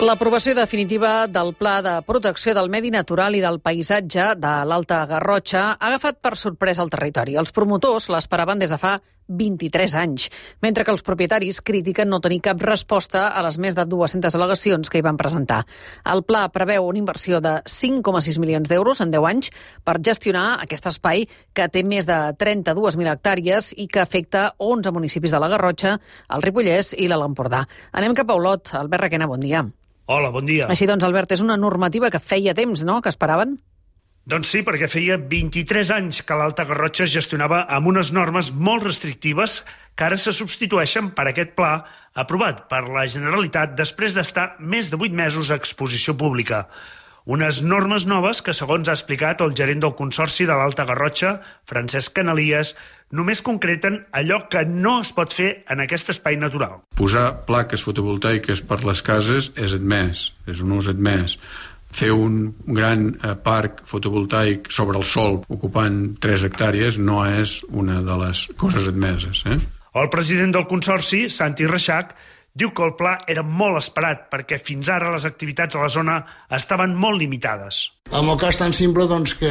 L'aprovació definitiva del Pla de Protecció del Medi Natural i del Paisatge de l'Alta Garrotxa ha agafat per sorpresa el territori. Els promotors l'esperaven des de fa 23 anys, mentre que els propietaris critiquen no tenir cap resposta a les més de 200 al·legacions que hi van presentar. El pla preveu una inversió de 5,6 milions d'euros en 10 anys per gestionar aquest espai que té més de 32.000 hectàrees i que afecta 11 municipis de la Garrotxa, el Ripollès i l'Alt Empordà. Anem cap a Olot. Albert Requena, bon dia. Hola, bon dia. Així doncs, Albert, és una normativa que feia temps, no?, que esperaven? Doncs sí, perquè feia 23 anys que l'Alta Garrotxa es gestionava amb unes normes molt restrictives que ara se substitueixen per aquest pla aprovat per la Generalitat després d'estar més de 8 mesos a exposició pública. Unes normes noves que, segons ha explicat el gerent del Consorci de l'Alta Garrotxa, Francesc Canalies, només concreten allò que no es pot fer en aquest espai natural. Posar plaques fotovoltaiques per les cases és admès, és un ús admès. Fer un gran parc fotovoltaic sobre el sòl ocupant 3 hectàrees no és una de les coses admeses. El president del Consorci, Santi Reixac, diu que el pla era molt esperat perquè fins ara les activitats a la zona estaven molt limitades. En el cas tan simple doncs, que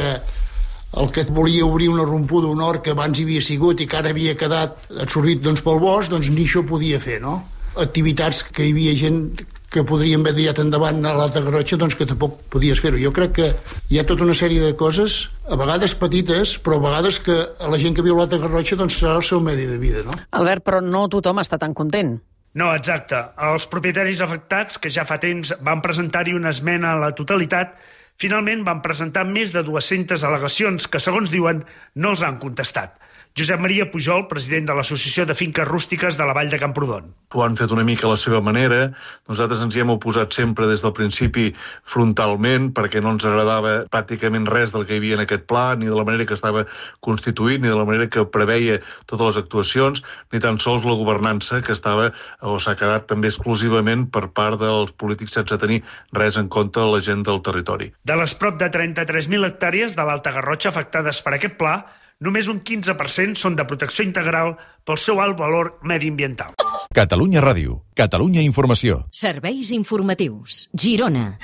el que volia obrir una rompuda, un hort que abans hi havia sigut i que ara havia quedat absorbit pel bosc, doncs ni això podia fer, no? Activitats que hi havia gent que podríem haver tirat endavant a l'Alta Garrotxa, doncs que tampoc podies fer-ho. Jo crec que hi ha tota una sèrie de coses, a vegades petites, però a vegades que a la gent que viu a l'Alta Garrotxa doncs serà el seu medi de vida, no? Albert, però no tothom està tan content. No, exacte. Els propietaris afectats, que ja fa temps van presentar-hi una esmena a la totalitat, finalment van presentar més de 200 al·legacions que, segons diuen, no els han contestat. Josep Maria Pujol, president de l'Associació de Finques Rústiques de la Vall de Camprodon. Ho han fet una mica a la seva manera. Nosaltres ens hi hem oposat sempre des del principi frontalment perquè no ens agradava pràcticament res del que hi havia en aquest pla, ni de la manera que estava constituït, ni de la manera que preveia totes les actuacions, ni tan sols la governança que estava o s'ha quedat també exclusivament per part dels polítics sense tenir res en compte a la gent del territori. De les prop de 33.000 hectàrees de l'Alta Garrotxa afectades per aquest pla, només un 15% són de protecció integral pel seu alt valor mediambiental. Catalunya Ràdio, Catalunya Informació. Serveis informatius. Girona.